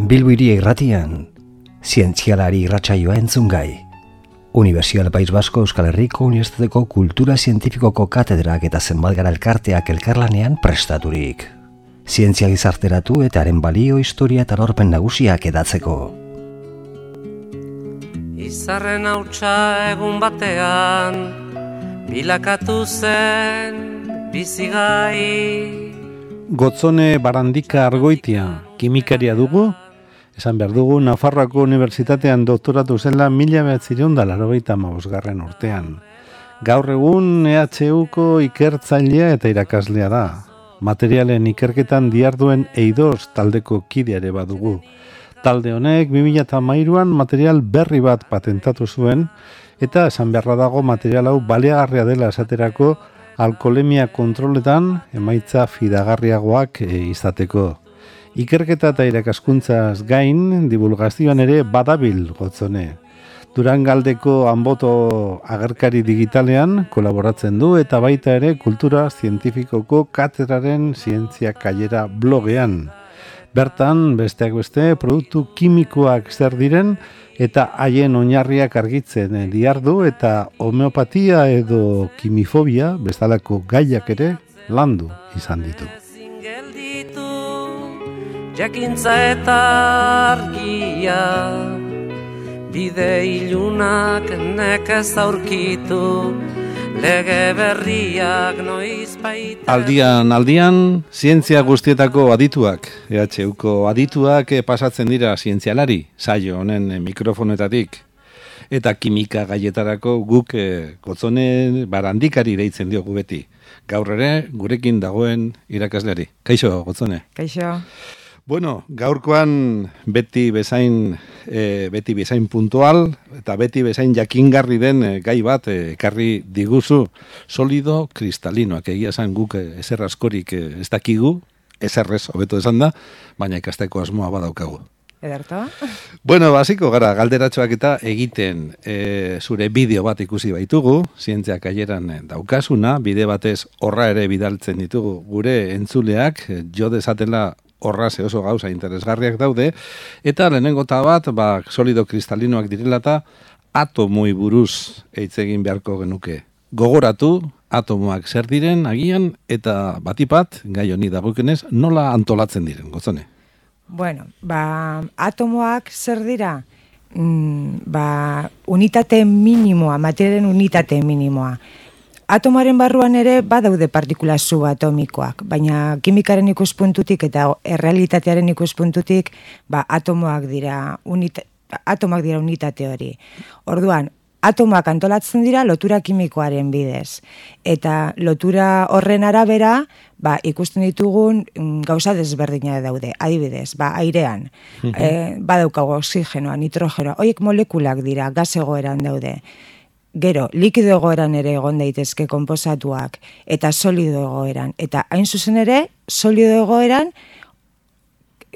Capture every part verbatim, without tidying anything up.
Bilbo Hiria Irratian, zientzialari irratsaioa entzungai. Unibertsial País Basko Euskal Herriko Unibertsitateko Kultura Zientifikoko katedrak eta zenbat gara elkarteak elkarlanean prestaturik. Zientzia gizarteratu eta haren balio, historia eta lorpen nagusiak edatzeko. Izarren hautsa egun batean, bilakatu zen bizigai. Gotzone Barandika Argoitia, kimikaria dugu, esan behar dugu, Nafarroako Unibertsitatean doktoratu zela mila bederatziehun eta laurogeita hamabosgarren urtean. Gaur egun E H Uko ikertzailea eta irakaslea da. Materialen ikerketan diharduen eidos taldeko kideare badugu. Talde honek bi mila hamairuan material berri bat patentatu zuen, eta esan beharra dago material hau baliagarria dela esaterako alkoholemia kontroletan emaitza fidagarriagoak e, izateko. Ikerketa eta irakaskuntzaz gain, divulgazioan ere badabil Gotzone. Durangaldeko Anboto agerkari digitalean kolaboratzen du eta baita ere kultura zientifikoko katedraren zientzia kailera blogean. Bertan, besteak beste, produktu kimikoak zer diren eta haien oinarriak argitzen dihardu eta homeopatia edo kimifobia bezalako gaiak ere landu izan ditu. Jakintza eta argia, bide ilunak nekez aurkitu, lege berriak noiz baita. Aldian, aldian, zientzia guztietako adituak, E H Uko adituak pasatzen dira zientzialari, saio honen mikrofonetatik. Eta kimika gaietarako guk Gotzone Barandikari deitzen diogu beti. Gaur ere, gurekin dagoen irakasleari. Kaixo, Gotzone. Kaixo. Bueno, gaurkoan beti bezain e, beti bezain puntual eta beti bezain jakingarri den e, gai bat ekarri e, diguzu, solido kristalinoak. Egia esan guk e, ezer askorik e, ez dakigu, ezerrez hobeto esan da, baina ikasteko asmoa badaukagu. Ederto? Bueno, basiko gara, galderatxoak eta egiten e, zure bideo bat ikusi baitugu, zientzia kaieran daukasuna, bide batez horra ere bidaltzen ditugu gure entzuleak, jo dezatela horra ze oso gauza interesgarriak daude, eta lehenengo eta bat, ba, solido kristalinoak direla eta atomoi buruz eitz egin beharko genuke. Gogoratu, atomoak zer diren agian, eta batipat, gai honi dagokenez, nola antolatzen diren, Gotzone? Bueno, ba, atomoak zer dira? Mm, ba, unitate minimoa, materialen unitate minimoa. Atomoaren barruan ere badaude partikula subatomikoak, baina kimikaren ikuspuntutik eta errealitatearen ikuspuntutik, ba, atomoak dira unita, atomoak dira unitate hori. Orduan, atomoak antolatzen dira lotura kimikoaren bidez. Eta lotura horren arabera, ba, ikusten ditugun gauza desberdina daude. Adibidez, ba, airean, uh-huh. e, badaukago oxigenoa, nitrogenoa, horiek molekulak dira, gas egoeran daude. Gero, likido egoeran ere egon daitezke konposatuak eta solido egoeran. Eta hain zuzen ere, solido egoeran,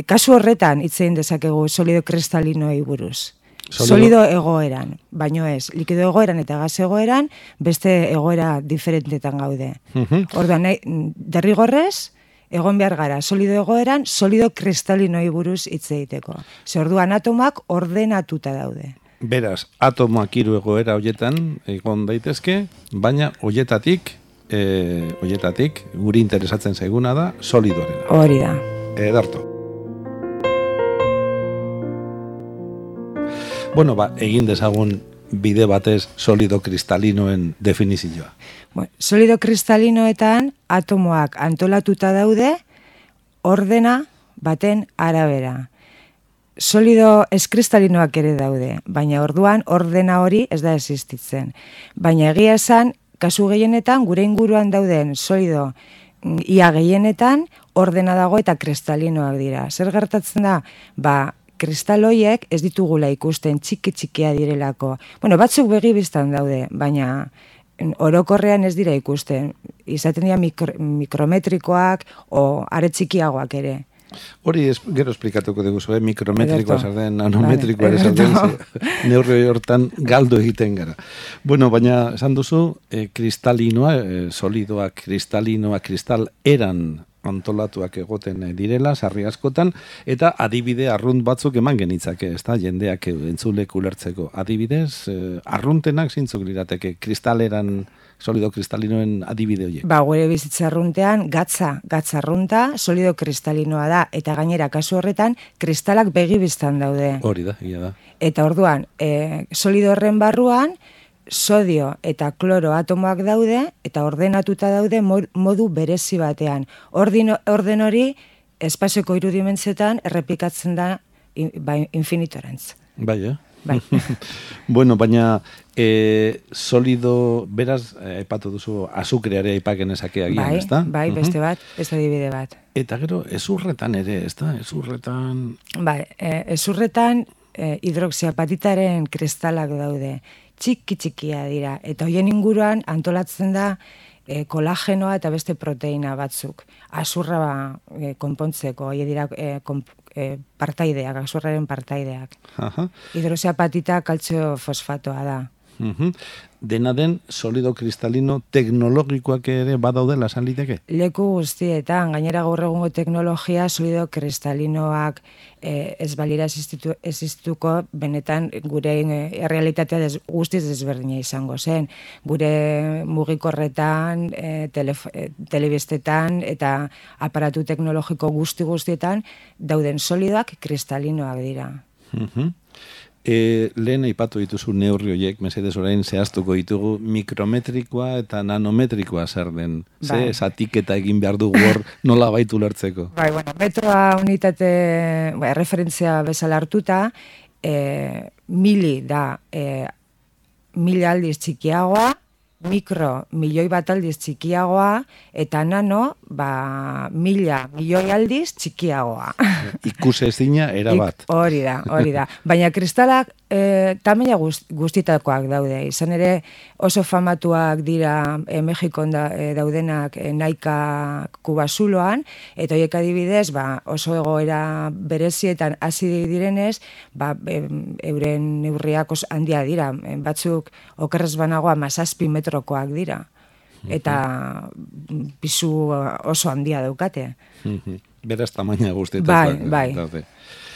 kasu horretan hitz egin dezakegu solido kristalinoei buruz. Solido, solido egoeran, baino ez, likido egoeran eta gas egoeran, beste egoera diferentetan gaude. Uh-huh. Orduan, derrigorrez, egon behar gara, solido egoeran, solido kristalinoei buruz hitz egiteko. Ze orduan atomak ordenatuta daude. Beraz, atomoak hiru egoera hoietan egon daitezke, baina hoietatik, e, hoietatik guri interesatzen zaiguna da solidoarena. Hori da. Ederto. Bueno, ba, egin dezagun bide batez solido kristalinoen definizioa. Bueno, solido kristalinoetan atomoak antolatuta daude ordena baten arabera. Solido eskristalinoak ere daude, baina orduan ordena hori ez da existitzen. Baina egia esan, kasu gehienetan, gure inguruan dauden solido ia gehienetan ordena dago eta kristalinoak dira. Zer gertatzen da? Ba, kristaloiek ez ditugula ikusten txiki-txikia direlako. Bueno, batzuk begi biztan daude, baina orokorrean ez dira ikusten. Izaten dira mikro, mikrometrikoak o are txikiagoak ere. Hori es, gero esplikatuko dugu, eh? Mikrometrikoa zer den, nanometrikoa ere zer den, neurri hortan galdo egiten gara. Bueno, baina esan duzu, eh, kristalinoa, eh, solidoa, kristalinoa, kristal eran antolatuak egoten direla, sarri askotan, eta adibide arrunt batzuk eman genitzake, ez da, jendeak entzulek ulertzeko. Adibidez, eh, arruntenak zintzuk lirateke, kristaleran, solido kristalinoen adibide horiek. Ba, gure bizitza arruntean, gatza, gatza arrunta, solido kristalinoa da, eta gainera kasu horretan, kristalak begibiztan daude. Hori da, egia da. Eta orduan, e, solido horren barruan, sodio eta kloro atomoak daude, eta ordenatuta daude modu berezi batean. Ordino, orden hori, espazioko irudimentzetan, errepikatzen da in, ba, infinitorantz. Bai, eh? Bai. Bueno, baina e, solido, beraz, aipatu duzu, azukreare aipaken ezake agian, bai, ez da? Bai, beste bat, ez adibide bat. Eta gero, ezurretan ere, ez da? Ezurretan... Bai, e, ezurretan e, hidroxiapatitaren kristalak daude. Txiki txikia dira, eta hoien inguruan antolatzen da e, kolagenoa eta beste proteina batzuk. Azurra ba, e, konpontzeko, hoie dira e, konp, e, partaideak, azurraren partaideak. Aha. Hidroxiapatita kaltzio fosfatoa da. Uhum. Dena den solido kristalino teknologikoak ere badaudela esan liteke? Leku guztietan, gainera gaur egungo teknologia solido kristalinoak eh, ez balira existuko benetan gure eh, realitatea des, guztiz desberdina izango zen. Gure mugikorretan, eh, tele, eh, telebistetan eta aparatu teknologiko guzti guztietan dauden solidoak kristalinoak dira. Uhum. E, lehen aipatu dituzu neurri horiek, mesedez orain zehaztuko ditugu mikrometrikoa eta nanometrikoa zer den. Ze, bai. zatiketa egin behar dugu hor nola baitu lertzeko. Bai, bueno, metroa unitate, bai, referentzia bezala hartuta, e, mili da e, mila aldiz txikiagoa, mikro milioi bat aldiz txikiagoa, eta nano, ba, mila milioi aldiz txikiagoa. Ikusezina era bat. Hori da, hori da. Baina kristalak e, tamaina gust, guztitakoak daude. Izan ere oso famatuak dira e, Mexikon da, e, daudenak e, Naika kubasuloan, eta horiek adibidez, ba, oso egoera berezietan hasi direnez, ba, e, euren neurriak oso handia dira. E, batzuk okerrez banago hamazazpi metrokoak dira. Eta pisu oso handia daukate. Beraz tamaina guztietan. Bai, bai. Daude.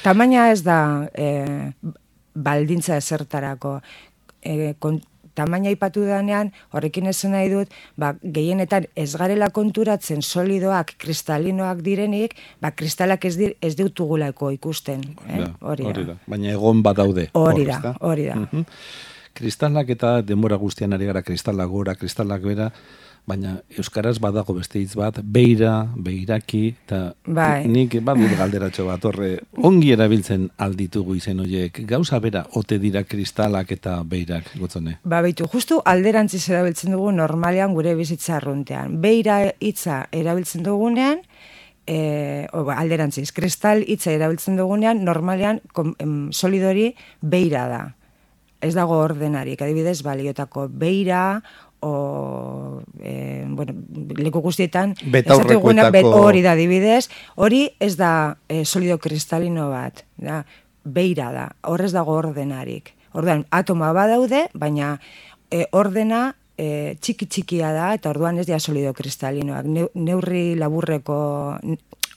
Tamaina ez da e, baldintza ezertarako. E, kon, tamaina ipatu danean, horrekin esan nahi dut, ba, gehienetan ez garela konturatzen solidoak, kristalinoak direnik, ba, kristalak ez, dir, ez dutugulako ikusten. Eh? Hori, hori da. Baina egon badaude. Hori da, hori da. Uh-huh. Kristalak eta denbora guztian ari gara, kristalak gora, kristalak bera, baina euskaraz badago beste hitz bat, beira, beiraki, eta bai. Nik badut galderatxo bat, horre, ongi erabiltzen alditugu izen horiek, gauza bera, ote dira kristalak eta beirak, gotzone? Ba, beitu, justu alderantziz erabiltzen dugu normalean gure bizitza arruntean. Beira hitza erabiltzen dugunean, e, o, alderantziz, kristal hitza erabiltzen dugunean, normalean kom, em, solidori beira da. Ez dago ordenarik, adibidez, baliotako beira, o, e, bueno, leku guztietan, betaurrekoetako bet, hori da, adibidez, hori ez da e, solido kristalino bat, da, beira da, hor ez dago ordenarik. Orduan, atomoa badaude, baina e, ordena e, txiki txikia da, eta orduan ez dira solido kristalinoak, ne, neurri laburreko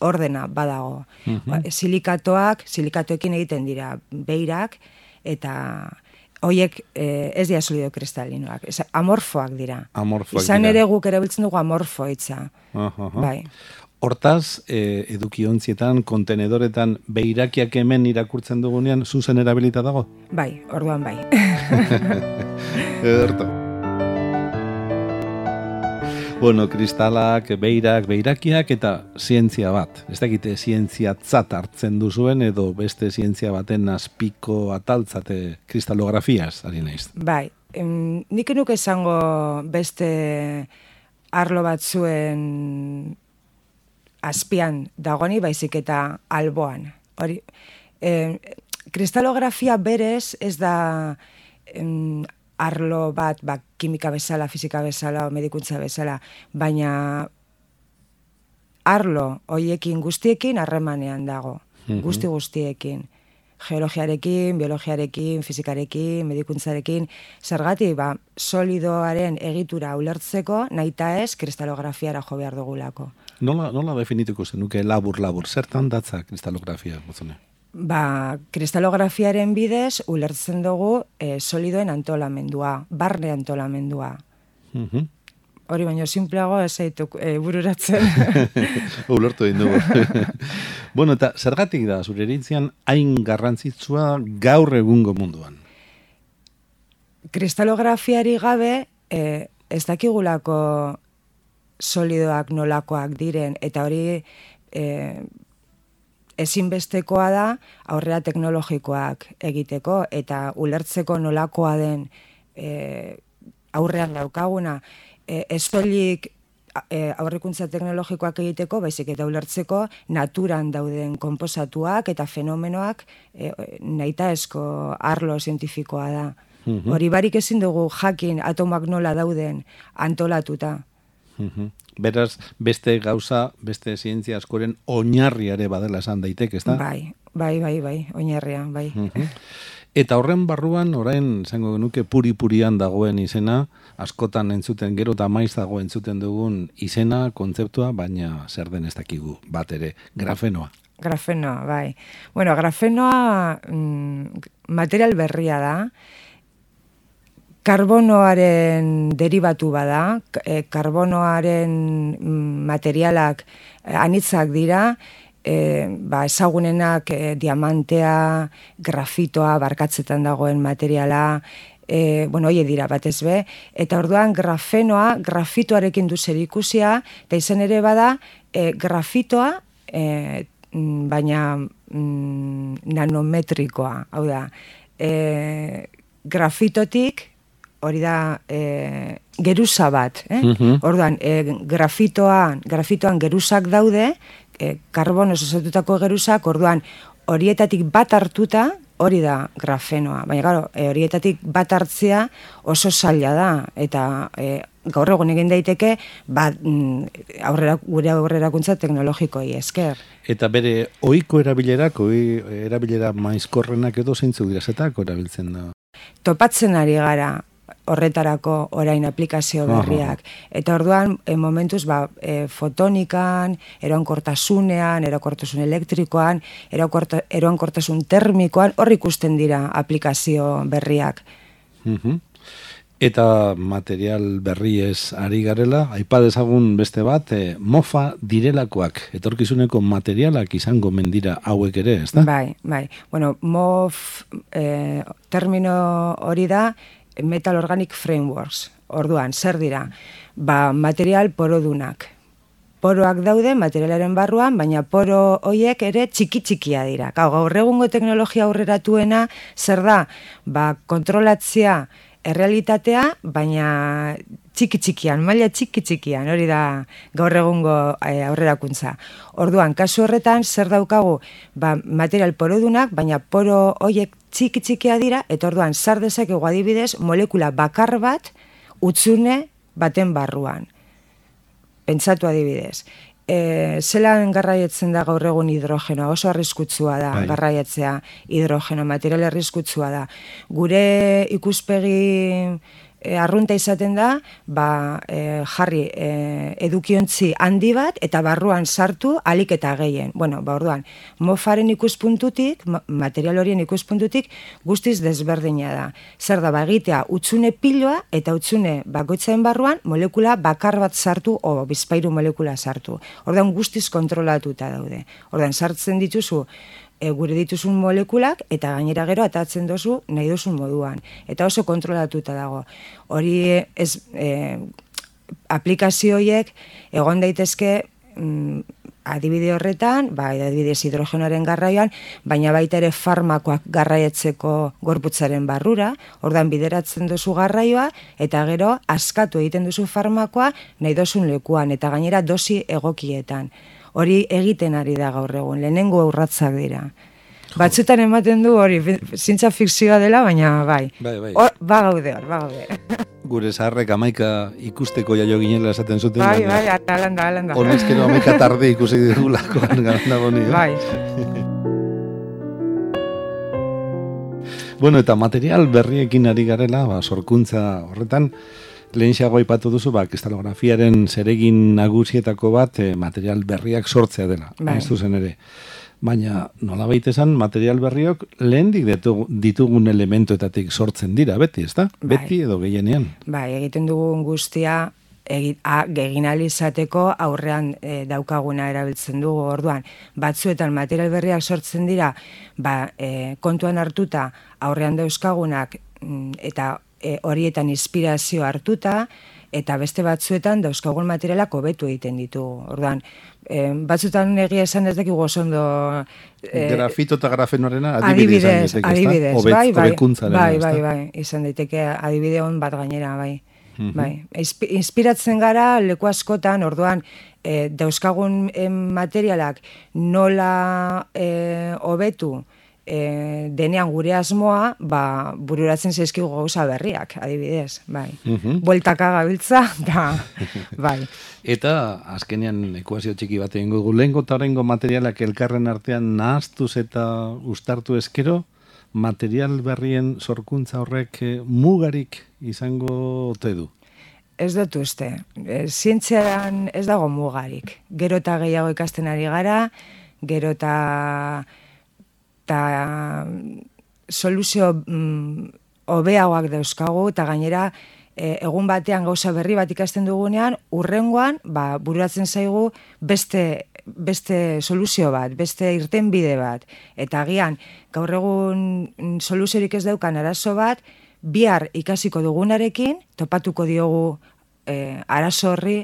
ordena badago. Uh-huh. Silikatoak, silikatoekin egiten dira beirak, eta hoiek eh, ez dira solido kristalinoak, ez, amorfoak dira. Amorfoak Izan dira. ere guk erabiltzen dugu amorfo hitza. Uh-huh. Bai. Hortaz, eh, edukiontzietan, kontenedoretan, beirakiak hemen irakurtzen dugunean, zuzen erabilita dago? Bai, orduan bai. Ederto. Bueno, kristalak, beirak, beirakiak eta zientzia bat. Ez dakite zientziatzat hartzen duzuen edo beste zientzia baten azpiko ataltzate kristalografiaz, ari naiz. Bai, em, nik nuke esango beste arlo batzuen azpian dagoni, baizik eta alboan. Hori, em, kristalografia berez ez da em, arlo bat, ba, kimika bezala, fizika bezala, o medikuntza bezala, baina arlo hoiekin guztiekin harremanean dago, mm-hmm. guzti guztiekin. geologiarekin, biologiarekin, fizikarekin, medikuntzarekin, zergatik, ba, solidoaren egitura ulertzeko, nahita ez, kristalografiara jo behar dugulako. Nola, nola definituko zenuke labur-labur, zertan datza kristalografia, Gotzone? Ba, kristalografiaren bidez, ulertzen dugu e, solidoen antolamendua, barne antolamendua. Mhm. Hori baino simpleago ez zaituk e, bururatzen. Ulertu egin dugu. Bueno, eta zergatik da, zure iritzian, hain garrantzitsua gaur egungo munduan? Kristalografiari gabe, e, ez dakigulako solidoak nolakoak diren, eta hori e, ezinbestekoa da aurrera teknologikoak egiteko, eta ulertzeko nolakoa den e, aurrean daukaguna, e, ez soilik e, aurrekuntza teknologikoak egiteko, baizik eta ulertzeko naturan dauden konposatuak eta fenomenoak e, nahitaezko arlo zientifikoa da. Mhm. Hori barik ezin dugu jakin atomak nola dauden antolatuta. Mhm. Beraz, beste gauza, beste zientzia askoren oinarriare badela esan daiteke, ezta? Bai, bai, bai, bai, oinarria, bai. Mhm. Eta horren barruan, orain, zango genuke, puri-purian dagoen izena, askotan entzuten, gero eta maiz dago entzuten dugun izena, kontzeptua, baina zer den ez dakigu, bat ere, grafenoa. Grafenoa, bai. Bueno, grafenoa mm, material berria da, karbonoaren derivatu bada, e, karbonoaren mm, materialak e, anitzak dira, E, ba, ezagunenak e, diamantea, grafitoa, barkatzetan dagoen materiala, e, bueno, hoie dira batez be, eta orduan grafenoa, grafitoarekin du zerikusia, eta izan ere bada, e, grafitoa, e, baina mm, nanometrikoa, hau da, e, grafitotik, hori da, e, geruza bat, eh? Mhm. Orduan, e, grafitoan, grafitoan geruzak daude, e, karbonoz osatutako geruzak, orduan, horietatik bat hartuta, hori da grafenoa. Baina, claro, e, horietatik bat hartzea oso zaila da, eta e, gaur egun egin daiteke, bat, mm, aurrera, gure aurrerakuntza teknologikoi esker. Eta bere ohiko erabilerak, ohi erabilera maizkorrenak edo zeintzuk dira zetako erabiltzen da? Topatzen ari gara horretarako orain aplikazio berriak. Eta orduan, e, momentuz, ba, e, fotonikan, eroankortasunean, eroankortasun elektrikoan, eroankortasun termikoan, hor ikusten dira aplikazio berriak. Mhm. Eta material berriez ari garela, aipa dezagun beste bat, e, mofa direlakoak, etorkizuneko materialak izango mendira hauek ere, ez da? Bai, bai. Bueno, mof e, termino hori da, Metal Organic Frameworks. Orduan, zer dira? Ba, material porodunak. Poroak daude materialaren barruan, baina poro hoiek ere txiki-txikia dira. Gau, gaur egungo teknologia aurreratuena zer da? Ba, kontrolatzea errealitatea, baina txiki-txikian, maila txiki-txikian, hori da gaur egungo e, aurrerakuntza. Orduan, kasu horretan, zer daukagu? Ba, material porodunak, baina poro hoiek txiki-txikia dira, eta orduan, sar dezakegu adibidez, molekula bakar bat, utzune baten barruan. Pentsatu adibidez. E, zelan garraietzen da gaur egun hidrogenoa, oso arriskutsua da. Bai. Garraiatzea hidrogeno, material arriskutsua da. Gure ikuspegi e, arrunta izaten da, ba, e, jarri e, edukiontzi handi bat, eta barruan sartu alik eta gehien. Bueno, ba, orduan, mofaren ikuspuntutik, material horien ikuspuntutik, guztiz desberdina da. Zer da, ba, egitea, utzune piloa, eta utzune bakoitzaren barruan, molekula bakar bat sartu, o bizpairu molekula sartu. Orduan, guztiz kontrolatuta daude. Orduan, sartzen dituzu, E, gure dituzun molekulak, eta gainera gero atatzen dozu nahi duzun moduan. Eta oso kontrolatuta dago. Hori ez, e, aplikazioiek egon daitezke mm, adibide horretan, ba, adibidez hidrogenoaren garraioan, baina baita ere farmakoak garraietzeko gorputzaren barrura, ordan bideratzen duzu garraioa, eta gero askatu egiten duzu farmakoa nahi duzun lekuan, eta gainera dosi egokietan. Hori egiten ari da gaur egun, lehenengo urratzak dira. Batzutan ematen du hori, zientza fikzioa dela, baina bai. Bai, bai. Hor, ba gaude hor, ba gaude. Gure zaharrek amaika ikusteko jaio ginela esaten zuten. Bai, bai, alanda, alanda. Honezkero amaika tarde ikusi digulakoan gara boni. Bai. Bueno, eta material berriekin ari garela, ba, sorkuntza horretan, lehenxeago aipatu duzu, ba, kristalografiaren zeregin nagusietako bat eh, material berriak sortzea dela, bai. Ez duzen ere. Baina, nola baita esan, material berriok lehendik ditugun elementuetatik sortzen dira, beti, ez da? Bai. Beti edo gehienean. Bai, egiten dugun guztia egin alizateko aurrean e, daukaguna erabiltzen dugu. Orduan, batzuetan material berriak sortzen dira, ba, e, kontuan hartuta aurrean dauzkagunak eta e, horietan inspirazio hartuta, eta beste batzuetan dauzkagun materialak hobetu egiten ditugu. Orduan, e, batzuetan egia esan ez dakigu oso ondo... E, Grafito eta grafenorena adibide izan daiteke, adibidez, Obet, bai, bai, bai, bai, bai, bai, izan daiteke adibide hon bat gainera, bai. Bai, inspiratzen gara leku askotan, orduan, e, dauzkagun e, materialak nola e, hobetu e, denean gure asmoa, ba, bururatzen zaizkigu gauza berriak, adibidez, bai. Uh-huh. Bueltaka gabiltza, da, bai. Eta, azkenean, ekuazio txiki bat egingo dugu, lehengo eta horrengo materialak elkarren artean nahaztuz eta ustartu eskero, material berrien sorkuntza horrek eh, mugarik izango ote du? Ez dut uste. E, zientziaran ez dago mugarik. Gero eta gehiago ikasten ari gara, gero eta, eta soluzio mm, hobeagoak dauzkagu, eta gainera e, egun batean gauza berri bat ikasten dugunean, urrengoan ba, bururatzen zaigu beste beste soluzio bat, beste irtenbide bat. Eta agian, gaur egun soluziorik ez daukan arazo bat, bihar ikasiko dugunarekin, topatuko diogu e, arazo horri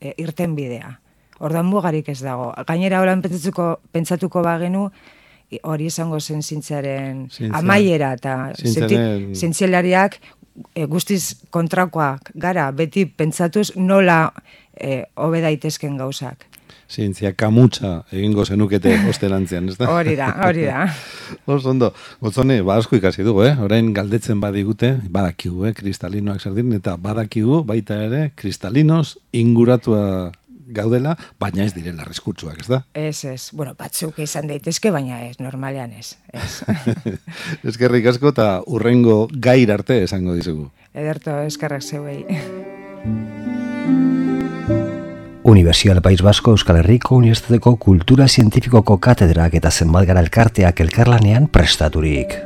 e, irtenbidea. Orduan mugarik ez dago. Gainera horan pentsatuko, pentsatuko bagenu, hori izango zen zientziaren amaiera, eta zientzialariak e, guztiz kontrakoak gara, beti pentsatuz nola e, hobe daitezken gauzak. Zientzia kamutsa egingo zenukete ostelantzian, ez da? Hori da, hori da. Oso ondo, gotzone, ba asko ikasi dugu, eh? Orain galdetzen badigute, badakigu, eh? Kristalinoak zer diren, eta badakigu baita ere, kristalinos inguratua gaudela, baina ez direla arriskutsuak, ez da? Ez, ez. Bueno, batzuk izan daitezke, baina ez, normalean ez. ez. Eskerrik asko eta urrengo gair arte esango dizugu. Ederto, eskerrak zeuei. Universidad País Vasco Euskal Herriko Unibertsitateko Kultura Zientifikoko katedrak eta zenbat gara elkarteak elkarlanean prestaturik.